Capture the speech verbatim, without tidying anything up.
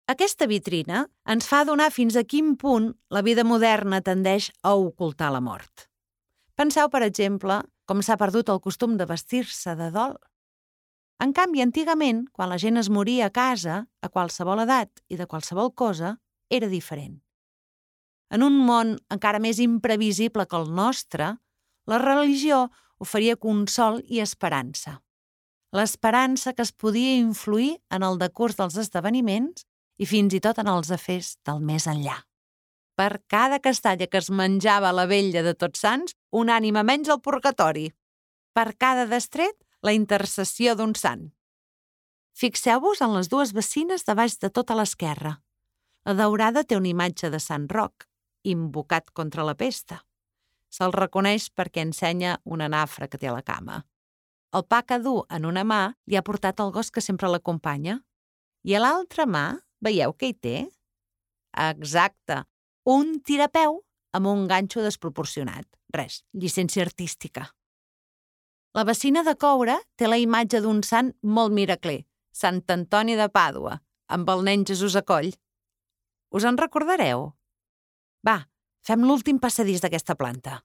Aquesta vitrina ens fa adonar fins a quin punt la vida moderna tendeix a ocultar la mort. Penseu, per exemple, com s'ha perdut el costum de vestir-se de dol. En canvi, antigament, quan la gent es moria a casa, a qualsevol edat i de qualsevol cosa, era diferent. En un món encara més imprevisible que el nostre, la religió oferia consol i esperança. L'esperança que es podia influir en el decurs dels esdeveniments i fins i tot en els afers del més enllà. Per cada castanya que es menjava a la vetlla de Tots Sants, una ànima menys al purgatori. Per cada destret, la intercessió d'un sant. Fixeu-vos en les dues bacines de baix de tota l'esquerra. La daurada té una imatge de Sant Roc, invocat contra la pesta. Se'l reconeix perquè ensenya una nafra que té a la cama. El pa que du en una mà li ha portat el gos que sempre l'acompanya. I a l'altra mà, veieu què hi té? Exacte, un tirapeu amb un ganxo desproporcionat. Res, llicència artística. La bacina de coure té la imatge d'un sant molt miracler, Sant Antoni de Pàdua, amb el nen Jesús a coll. Us en recordareu? Va, fem l'últim passadís d'aquesta planta.